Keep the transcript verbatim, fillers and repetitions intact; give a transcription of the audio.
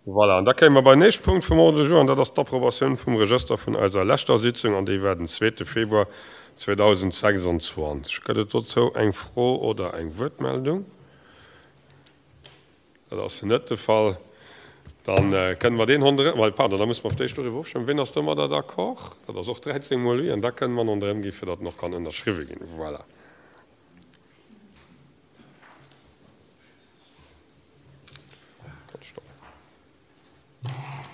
Voilà, an da kéime mer beim nächste Punkt vum Ordre du jour, an dat ass d'Approbatioun vum Regëster vun eiser leschter Sitzung, an déi war den zweete Februar zweedausendsechsundzwanzeg. Gëtt et dozou eng Fro oder eng Wuertmeldung? Dat ass net de Fall. Da kënnen mer deen honderëm, well, pardon, da musse mer op d'éischt doriwwer ofstëmmen. Wien ass domadder d'accord? Dat ass och dräizéng mol oui. An da kënnen mer en honderëm ginn, fir datt en och kann ënnerschriwwe ginn. Voilà.